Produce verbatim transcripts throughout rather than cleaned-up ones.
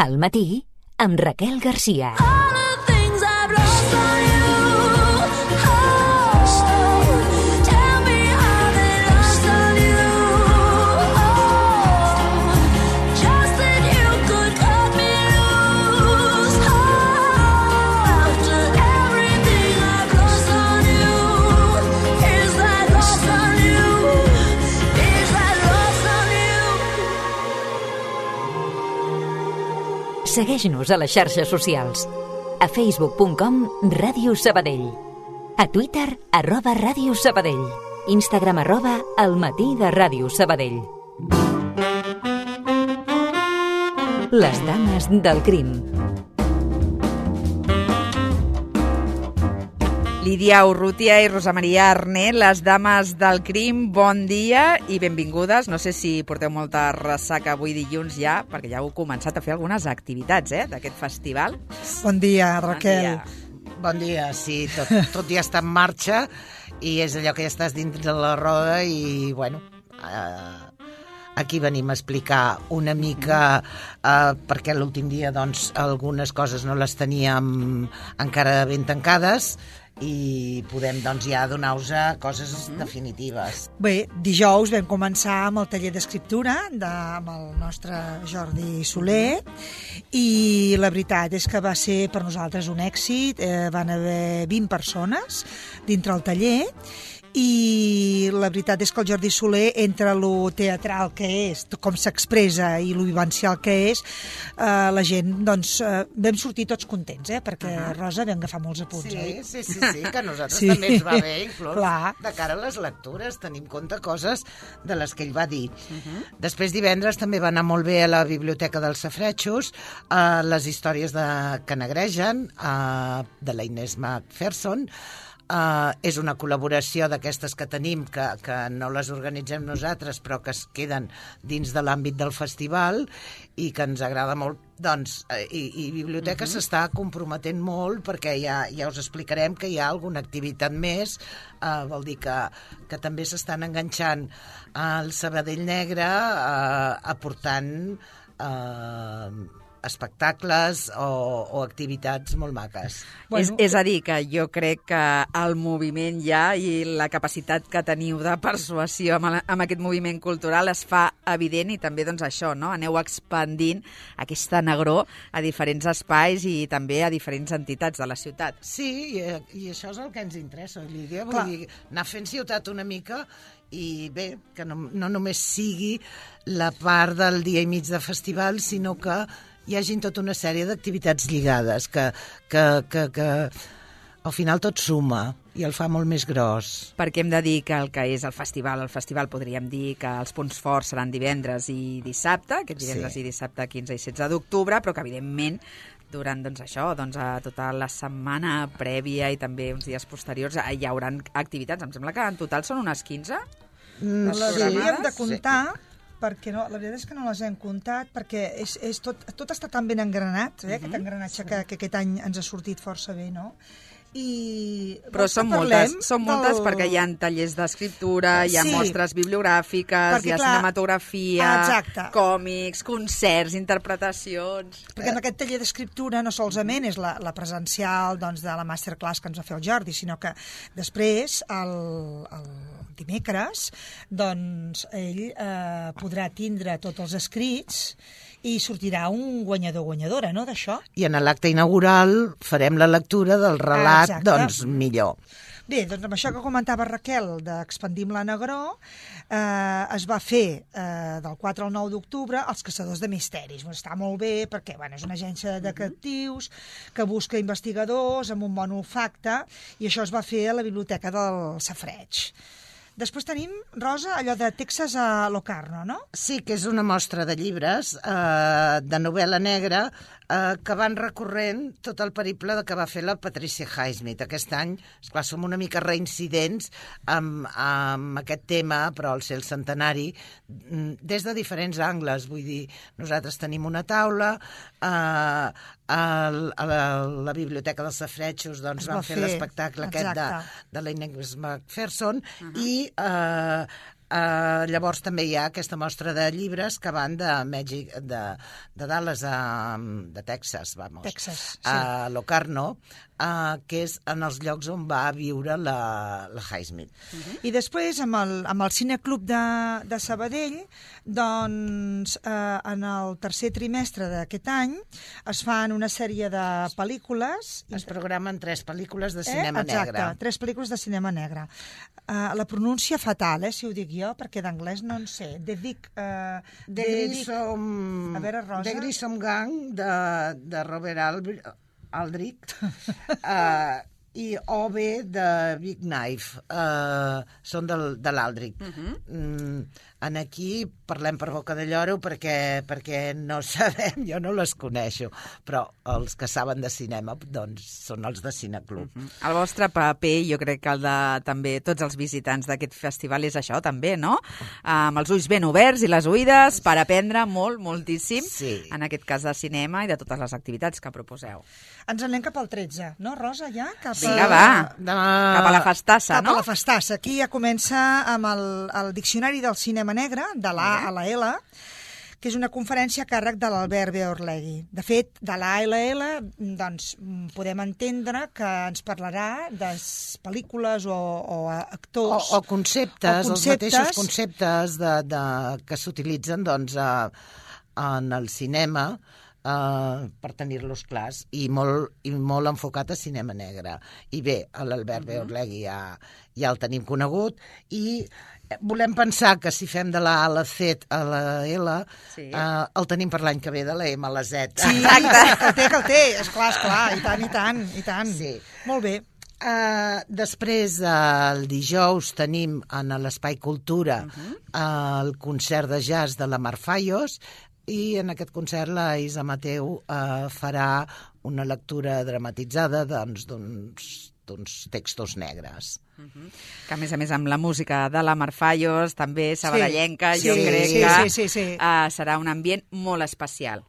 Al matí, amb Raquel Garcia. Segueix-nos a les xarxes socials. A facebook punt com Ràdio Sabadell. A Twitter, arroba Ràdio Sabadell. Instagram, arroba El matí de Ràdio Sabadell. Les dames del crim. Lídia Urrutia i Rosa Maria Arné, les dames del crim, bon dia i benvingudes. No sé si porteu molta ressaca avui dilluns ja, perquè ja heu començat a fer algunes activitats eh, d'aquest festival. Bon dia, Raquel. Bon dia, bon dia. Sí, tot, tot ja està en marxa i és allò que ja estàs dins de la roda i, bueno, eh, aquí venim a explicar una mica, eh, perquè l'últim dia doncs, algunes coses no les teníem encara ben tancades, i podem doncs, ja donar-vos coses mm. definitives. Bé, dijous vam començar amb el taller d'escriptura de, amb el nostre Jordi Soler i la veritat és que va ser per nosaltres un èxit. Eh, van haver vint persones dintre el taller i la veritat és que el Jordi Soler, entre lo teatral que és, com s'expressa i lo vivencial que és, eh, la gent, doncs, eh, vam sortir tots contents, eh? Perquè, uh-huh. Rosa, vam agafar molts apunts, sí, eh? Sí, sí, sí, que a nosaltres sí. també ens va bé, inclús Clar. De cara a les lectures, tenim compte coses de les que ell va dir. Uh-huh. Després, divendres, també va anar molt bé a la Biblioteca dels Safaretjos, eh, les històries de que negregen, eh, de la Inés Macpherson. Uh, és una col·laboració d'aquestes que tenim, que, que no les organitzem nosaltres, però que es queden dins de l'àmbit del festival i que ens agrada molt. Doncs, i, i Biblioteca uh-huh. s'està comprometent molt perquè ja, ja us explicarem que hi ha alguna activitat més, uh, vol dir que, que també s'estan enganxant al Sabadell Negre, uh, aportant uh, espectacles o, o activitats molt maques. Bueno, és, és a dir, que jo crec que el moviment ja i la capacitat que teniu de persuasió amb, amb aquest moviment cultural es fa evident i també doncs això, no? Aneu expandint aquesta negror a diferents espais i també a diferents entitats de la ciutat. Sí, i, i això és el que ens interessa, Lídia. Vull Clar. dir, anar fent ciutat una mica i bé, que no, no només sigui la part del dia i mig de festival, sinó que hi hagi tota una sèrie d'activitats lligades que, que, que, que al final tot suma i el fa molt més gros. Perquè hem de dir que el que és el festival, el festival podríem dir que els punts forts seran divendres i dissabte, aquest divendres sí. i dissabte quinze i setze d'octubre, però que evidentment durant doncs, això, doncs, a tota la setmana prèvia i també uns dies posteriors hi haurà activitats. Em sembla que en total són unes quinze. Mm, les sí. hauríem de comptar, sí. perquè no, la veritat és que no les hem comptat, perquè és, és tot, tot està tan ben engranat, eh, uh-huh. aquest engranatge sí. que, que aquest any ens ha sortit força bé, no? I però són moltes, són moltes del... perquè hi ha tallers d'escriptura, hi ha sí. mostres bibliogràfiques, perquè, hi ha clar, cinematografia, exacte. còmics, concerts, interpretacions... Perquè en aquest taller d'escriptura no solament és la, la presencial doncs, de la masterclass que ens va fer el Jordi, sinó que després, el, el dimecres, doncs ell eh, podrà tindre tots els escrits i sortirà un guanyador o guanyadora, no?, d'això. I en l'acte inaugural farem la lectura del relat, ah, doncs, millor. Bé, doncs amb això que comentava Raquel d'Expandim la Negror, eh, es va fer eh, del quatre al nou d'octubre Els Caçadors de Misteris. Bueno, està molt bé perquè bueno, és una agència de detectius que busca investigadors amb un bon olfacte i això es va fer a la Biblioteca del Safareig. Després tenim, Rosa, allò de Texas a Locarno, no? Sí, que és una mostra de llibres eh, de novel·la negra eh, que van recorrent tot el periple que va fer la Patricia Highsmith. Aquest any, esclar, som una mica reincidents amb, amb aquest tema, però al ser el centenari, des de diferents angles. Vull dir, nosaltres tenim una taula, eh, a la, la Biblioteca dels Safaretjos doncs, van fer, fer l'espectacle aquest de, de la Inés Macpherson uh-huh. i eh, Uh, llavors també hi ha aquesta mostra de llibres que van de Mèxic, de, de Dallas a de Texas, vamos, Texas, sí. a Locarno, uh, que és en els llocs on va viure la, la Highsmith. Uh-huh. I després, amb el, amb el Cineclub de, de Sabadell, doncs, eh, en el tercer trimestre d'aquest any es fan una sèrie de pel·lícules. Es programen tres pel·lícules de cinema eh? Exacte, negre. tres pel·lícules de cinema negre. Uh, la pronúncia fatal, eh, si ho dic jo, perquè d'anglès no en sé. De Vic... Uh, de Grissom... A veure, Rosa. De Grissom Gang, de, de Robert Aldrich, Aldrich uh, i O B de Big Knife. Uh, són del, de l'Aldrich. Uh-huh. mm, en aquí parlem per boca de lloro perquè, perquè no sabem, jo no les coneixo, però els que saben de cinema doncs són els de Cineclub. Uh-huh. El vostre paper, jo crec que el de també tots els visitants d'aquest festival és això també, no? Amb els ulls ben oberts i les oïdes per aprendre molt, moltíssim, sí. En aquest cas de cinema i de totes les activitats que proposeu. Ens anem cap al tretze, no, Rosa, ja? Cap a... Vinga, va, de... cap a la festassa, cap no? Cap a la festassa. Aquí ja comença amb el, el Diccionari del Cinema Negre, de l'A a la L, que és una conferència a càrrec de l'Albert B. Orlegui. De fet, de l'A a la L, doncs, podem entendre que ens parlarà de pel·lícules o, o actors... O, o, conceptes, o conceptes, els mateixos conceptes de, de, que s'utilitzen doncs, a, en el cinema, Uh, per tenir-los clars, i molt, i molt enfocat a cinema negre. I bé, l'Albert uh-huh. B. Orlegui ja, ja el tenim conegut, i volem pensar que si fem de la A a la C a la L, sí. uh, el tenim per l'any que ve de la M a la Z. Sí, exacte, que el té, que el té, esclar, esclar, i tant, i tant, i tant. Sí. Molt bé. Uh, després, uh, el dijous, tenim en l'Espai Cultura uh-huh. uh, el concert de jazz de la Mar Fallos, i en aquest concert la Isa Mateu eh, farà una lectura dramatitzada doncs, d'uns, d'uns textos negres. Uh-huh. Que a més a més amb la música de la Mar Fallos, també sabadellenca, sí, jo sí, crec sí, que sí, sí, sí. Uh, serà un ambient molt especial.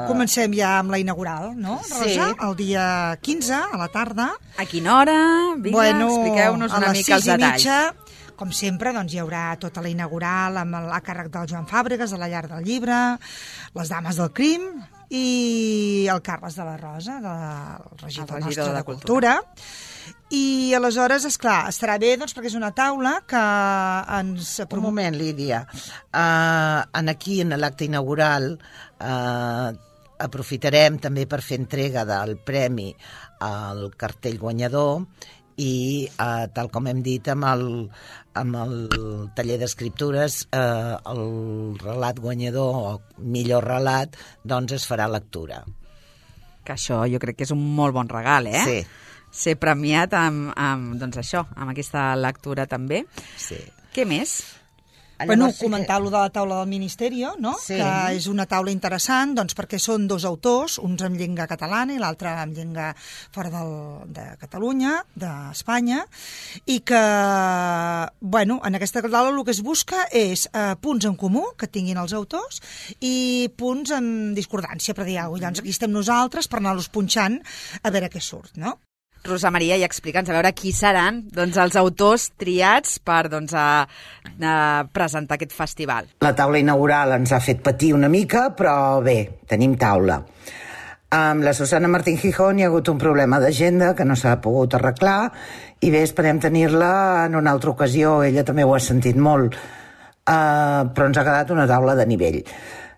Comencem ja amb la inaugural, no, Rosa? Sí. El dia quinze, a la tarda. A quina hora? Vinga, bueno, expliqueu-nos una mica els detalls. Mitja, com sempre, doncs, hi haurà tota la inaugural amb el, a càrrec del Joan Fàbregas, de la Llar del Llibre, les Dames del Crim i el Carles de la Rosa, del regidor, el regidor nostre de, de Cultura. Cultura. I aleshores, esclar, estarà bé doncs, perquè és una taula que ens... Un moment, Lídia. Uh, en aquí, en l'acte inaugural, uh, aprofitarem també per fer entrega del premi al cartell guanyador i, uh, tal com hem dit, amb el, amb el taller d'escriptures, uh, el relat guanyador, o millor relat, doncs es farà lectura. Que això jo crec que és un molt bon regal, eh? Sí. Ser premiat amb, amb, doncs això, amb aquesta lectura també. Sí. Què més? Bueno, comentar lo de la taula del Ministeri, no? Sí. Que és una taula interessant, doncs, perquè són dos autors, uns en llengua catalana i l'altre en llengua fora del, de Catalunya, d'Espanya, i que, bueno, en aquesta taula el que es busca és eh, punts en comú que tinguin els autors i punts en discordància, per dir alguna cosa. Llavors aquí estem nosaltres per anar-los punxant a veure què surt, no? Rosa Maria, i explica'ns a veure qui seran doncs, els autors triats per doncs, a, a presentar aquest festival. La taula inaugural ens ha fet patir una mica, però bé, tenim taula. Amb la Susana Martín Gijón hi ha hagut un problema d'agenda que no s'ha pogut arreglar i bé, esperem tenir-la en una altra ocasió, ella també ho ha sentit molt, uh, però ens ha quedat una taula de nivell.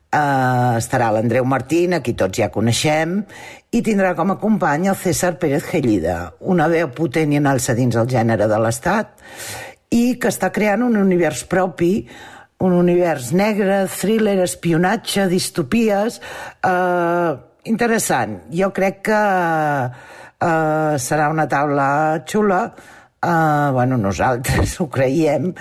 Uh, estarà l'Andreu Martín, a qui tots ja coneixem, i tindrà com a company el César Pérez Gellida, una veu potent i en alça dins el gènere de l'Estat, i que està creant un univers propi, un univers negre, thriller, espionatge, distopies, uh, interessant. Jo crec que uh, serà una taula xula, uh, bueno, nosaltres ho creiem,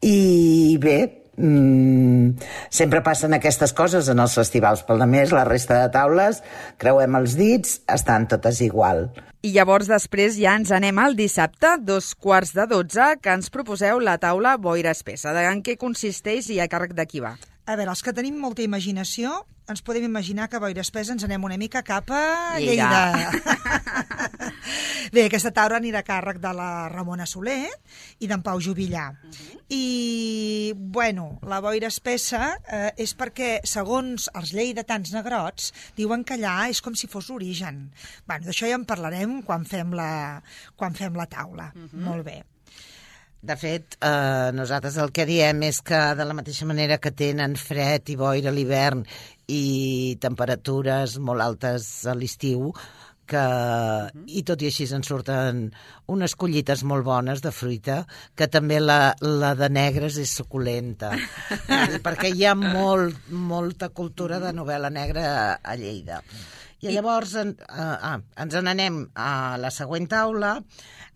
i bé, Mm, sempre passen aquestes coses en els festivals, però a més la resta de taules, creuem els dits, estan totes igual. I llavors després ja ens anem al dissabte, dos quarts de dotze, que ens proposeu la taula Boira Espessa. En què consisteix i a càrrec de qui va? A veure, els que tenim molta imaginació, ens podem imaginar que a Boira Espessa ens anem una mica cap a Lleida. Lleida. Bé, aquesta taula anirà a càrrec de la Ramona Soler i d'en Pau Jubillà. Uh -huh. I, bueno, la Boira Espessa eh, és perquè, segons els lleidatans negrots, diuen que allà és com si fos l'origen. Bueno, d'això ja en parlarem quan fem la, quan fem la taula. Uh -huh. Molt bé. De fet, eh, nosaltres el que diem és que de la mateixa manera que tenen fred i boira a l'hivern i temperatures molt altes a l'estiu, que, uh-huh. i tot i així en surten unes collites molt bones de fruita, que també la, la de negres és suculenta, perquè hi ha molt, molta cultura de novel·la negra a, a Lleida. I llavors en, uh, ah, ens n'anem a la següent taula.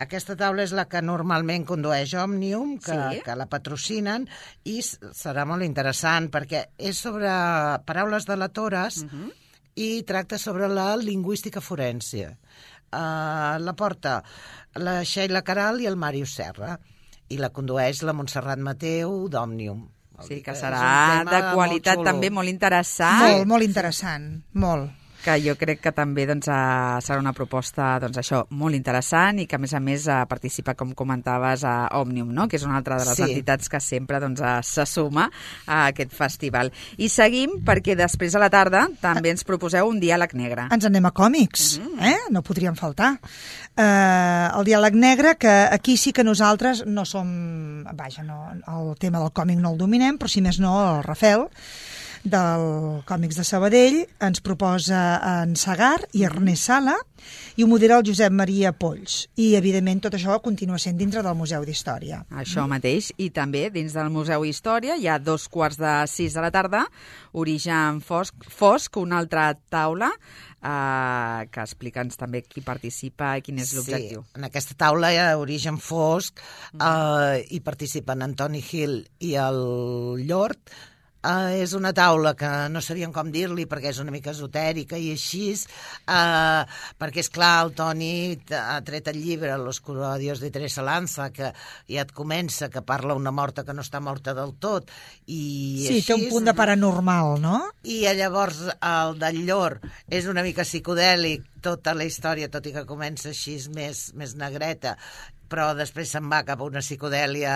Aquesta taula és la que normalment condueix Òmnium, que, sí? que la patrocinen, i serà molt interessant perquè és sobre paraules delatores uh-huh. i tracta sobre la lingüística forense. Uh, la porta la Sheila Caral i el Màrius Serra, i la condueix la Montserrat Mateu d'Òmnium. Sí, que serà de qualitat molt també molt interessant. Molt, molt interessant, molt. Que jo crec que també doncs, uh, serà una proposta doncs, això molt interessant i que, a més a més, uh, participa, com comentaves, a Òmnium, no? Que és una altra de les sí. entitats que sempre doncs, uh, se suma a aquest festival. I seguim perquè després a la tarda també ens proposeu un diàleg negre. Ens anem a còmics, mm. eh? No podríem faltar. Uh, el diàleg negre, que aquí sí que nosaltres no som... Vaja, no, el tema del còmic no el dominem, però si més no el Rafel, del Còmics de Sabadell, ens proposa en Segar i Ernest Sala, i ho modera el Josep Maria Polls. I, evidentment, tot això continua sent dintre del Museu d'Història. Això mateix. I també, dins del Museu d'Història, hi ha dos quarts de sis de la tarda, Origen Fosc, Fosc una altra taula, Uh, que explica'ns també qui participa i quin és l'objectiu. Sí, en aquesta taula hi ha Origen Fosc, uh, hi participen Antoni Gil i el Llort. Uh, és una taula que no sabíem com dir-li perquè és una mica esotèrica i així, uh, perquè és clar, el Toni ha tret el llibre L'oscuro adiós de Teresa Lanza, que ja et comença, que parla una morta que no està morta del tot. I sí, així, té un punt de paranormal, no? I llavors el del Llor és una mica psicodèlic, tota la història, tot i que comença així més, més negreta, però després se'n va cap a una psicodèlia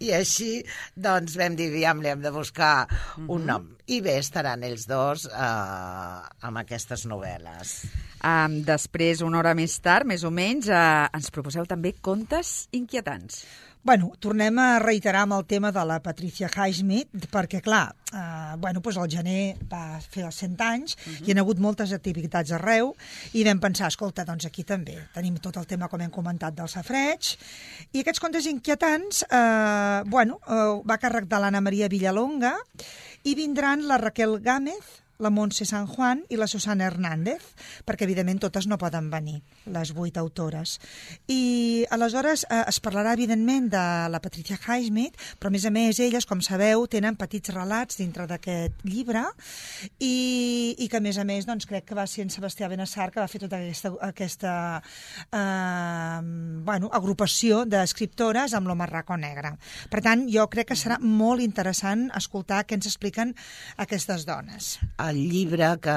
i així doncs vam dir, aviam, li hem de buscar un nom. I bé, estaran ells dos eh, amb aquestes novel·les. Um, després, una hora més tard, més o menys, uh, ens proposeu també contes inquietants. Bueno, tornem a reiterar amb el tema de la Patricia Highsmith, perquè, clar, eh, bueno, doncs el gener va fer els cent anys, uh -huh. i hi ha hagut moltes activitats arreu, i vam pensar, escolta, doncs aquí també tenim tot el tema, com hem comentat, del safreig, i aquests contes inquietants, eh, bueno, eh, va a càrrec de l'Anna Maria Villalonga, i vindran la Raquel Gámez, la Montse San Juan i la Susana Hernández, perquè evidentment totes no poden venir, les vuit autores. I aleshores eh, es parlarà evidentment de la Patricia Highsmith, però a més a més elles, com sabeu, tenen petits relats dintre d'aquest llibre i, i que a més a més doncs, crec que va ser en Sebastià Benassar que va fer tota aquesta, aquesta eh, bueno, agrupació d'escriptores amb l'Home Raco Negre. Per tant, jo crec que serà molt interessant escoltar què ens expliquen aquestes dones. El llibre, que,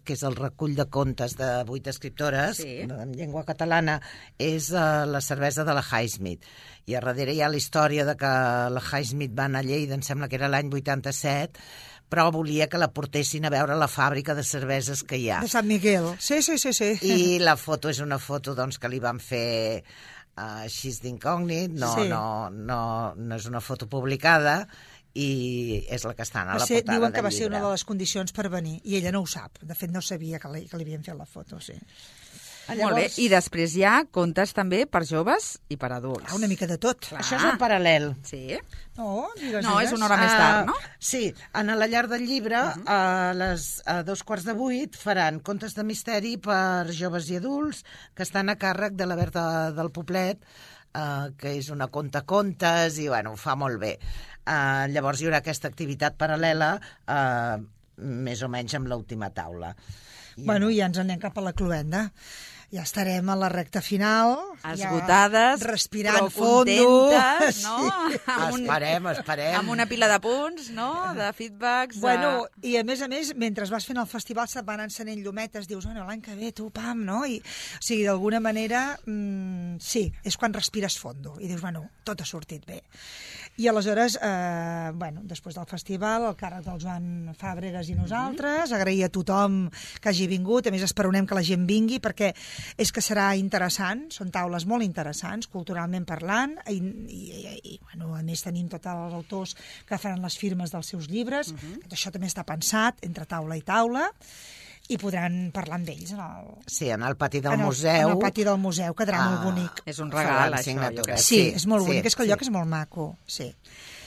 que és el recull de contes de vuit escriptores, sí, en llengua catalana, és uh, la cervesa de la Highsmith. I a darrere hi ha la història de que la Highsmith va anar a Lleida, em sembla que era l'any vuitanta-set, però volia que la portessin a veure la fàbrica de cerveses que hi ha. De Sant Miguel, sí, sí, sí. sí. I la foto és una foto doncs, que li van fer uh, així d'incògnit, no, sí. no, no, no és una foto publicada, i és la que està a Va la ser, portada diuen que del va ser llibre. una de les condicions per venir, i ella no ho sap. De fet, no sabia que li, que li havien fet la foto, sí. Molt bé, i després hi ha contes també per joves i per adults. Ah, una mica de tot. Clar. Això és el paral·lel. Sí? No, digues, No, és digues. una hora més tard, no? Uh, sí, en la llar del llibre, uh -huh. a, les, a dos quarts de vuit, faran contes de misteri per joves i adults que estan a càrrec de la Berta del Poblet, uh, que és una conta-contes i, bueno, ho fa molt bé. Uh, llavors hi haurà aquesta activitat paral·lela, uh, més o menys amb l'última taula. I, Bueno, ja ens anem cap a la cloenda. Ja estarem a la recta final. Esgotades, ja respirant però fondo. contentes, no? Sí. Amb un- Esperem, esperem. Amb una pila de punts, no? De feedbacks. De... Bueno, i a més a més, mentre vas fent el festival se't van encenent llumetes, dius, bueno, l'any que ve tu, pam, no? I, o sigui, d'alguna manera, mmm, sí, és quan respires fondo i dius, bueno, tot ha sortit bé. I aleshores, eh, bueno, després del festival, el càrrec del Joan Fàbregas i nosaltres, agrair a tothom que hagi vingut, a més esperonem que la gent vingui, perquè és que serà interessant, són taules molt interessants, culturalment parlant, i, i, i bueno, a més tenim tots els autors que faran les firmes dels seus llibres, uh-huh. Això també està pensat entre taula i taula, i podran parlar amb ells en el, Sí, en el pati del en el, museu. en el pati del museu, quedarà Ah, molt bonic. És un faran regal, això, jo signatures. crec. Sí, sí, és molt sí, bonic, és que el sí. lloc és molt maco, sí.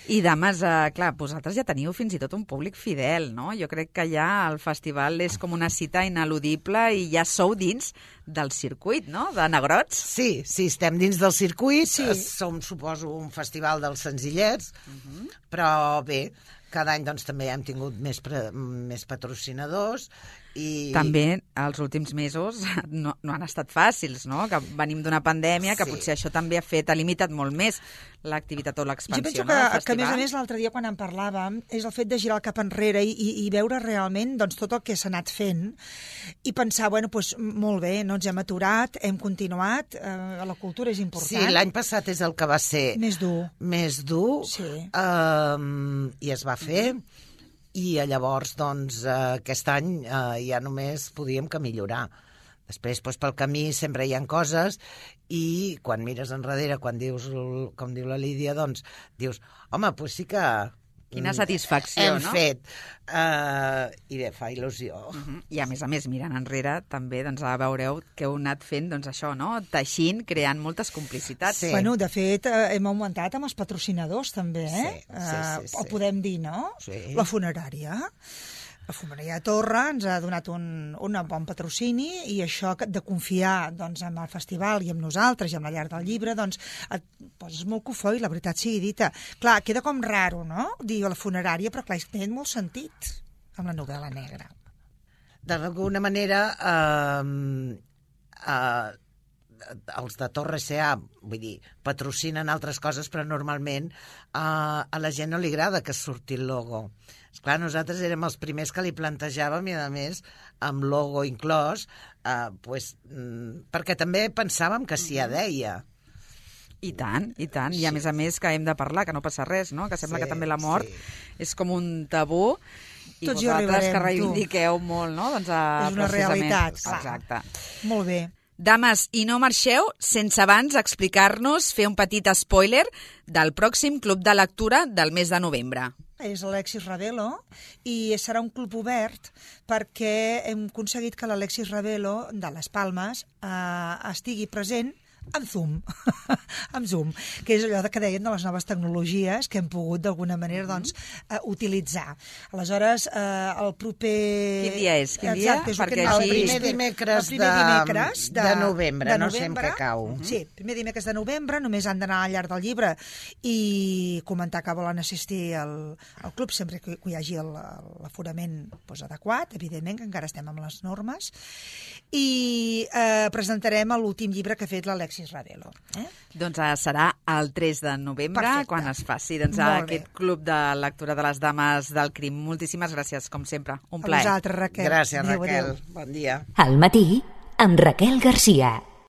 I, dames, eh, clar, vosaltres ja teniu fins i tot un públic fidel, no? Jo crec que ja el festival és com una cita ineludible i ja sou dins del circuit, no?, de Negrots. Sí, sí, estem dins del circuit, Sí. sí. Som, suposo, un festival dels senzillets, uh-huh. Però bé, cada any doncs, també hem tingut més, pre, més patrocinadors i... També els últims mesos no, no han estat fàcils, no? Que venim d'una pandèmia, que Sí. potser això també ha fet, ha limitat molt més l'activitat o l'expansió, Jo penso no, que, del que a festival. més a més, l'altre dia quan en parlàvem, és el fet de girar el cap enrere i, i, i veure realment doncs, tot el que s'ha anat fent i pensar, bueno, doncs, molt bé, no ens hem aturat, hem continuat, eh, la cultura és important. Sí, l'any passat és el que va ser Més dur. més dur, Sí. um, i es va fer, i llavors, doncs, uh, aquest any uh, ja només podíem que millorar. Després, doncs, pel camí sempre hi ha coses i quan mires enrere, quan dius, com diu la Lídia, doncs dius, home, doncs sí que... Quina satisfacció, hem no? fet. Uh, I bé, fa il·lusió. Uh -huh. I a més a més, mirant enrere, també doncs, veureu que heu anat fent doncs, això, no? Teixint, creant moltes complicitats. Sí. Bueno, de fet, eh, hem augmentat amb els patrocinadors, també, eh? Sí, sí, sí, sí. Ho podem dir, no? Sí. La funerària. La funerària de Torre ens ha donat un, un bon patrocini i això de confiar doncs, en el festival i amb nosaltres i amb la llar del llibre, doncs et poses molt cofoi, la veritat sigui dita. Clar, queda com raro, no?, dir la funerària, però clar, té molt sentit amb la novel·la negra. D'alguna manera, eh, eh, els de Torre S A, vull dir, patrocinen altres coses, però normalment eh, a la gent no li agrada que surti el logo. Esclar, nosaltres érem els primers que li plantejàvem i, a més, amb logo inclòs, eh, pues, mm, perquè també pensàvem que s'hi deia. I tant, i tant. I a més a més que hem de parlar, que no passa res, no? Que sembla Sí, que també la mort sí. és com un tabú. I Tots hi vosaltres arribarem, que tu. reivindiqueu molt, no? Doncs, a, És una precisament- realitat, clar. Exacte. Molt bé. Dames, i no marxeu sense abans explicar-nos, fer un petit spoiler del pròxim club de lectura del mes de novembre. És l'Alexis Ravelo i serà un club obert perquè hem aconseguit que l'Alexis Ravelo de les Palmes eh, estigui present amb Zoom, amb Zoom, que és allò que deien de les noves tecnologies que hem pogut d'alguna manera doncs, eh, utilitzar. Aleshores, eh, el proper... Quin dia és? Quin dia? Exacte, és Perquè el, així- El primer dimecres, el primer de, dimecres de, de novembre, no sé en què cau. Uh -huh. Sí, primer dimecres de novembre, només han d'anar al llarg del llibre i comentar que volen assistir al, al club sempre que, que hi hagi l'aforament doncs, adequat, evidentment, que encara estem amb les normes, i eh, presentarem l'últim llibre que ha fet l'Alexis Ravelo. Eh? Doncs eh, serà el tres de novembre, Perfecte. quan es faci doncs, Molt bé. aquest club de lectura de les dames del crim. Moltíssimes gràcies, com sempre. Un A plaer. vosaltres, Raquel. Gràcies, Adéu, Raquel. adéu. Bon dia. Al matí, amb Raquel Garcia.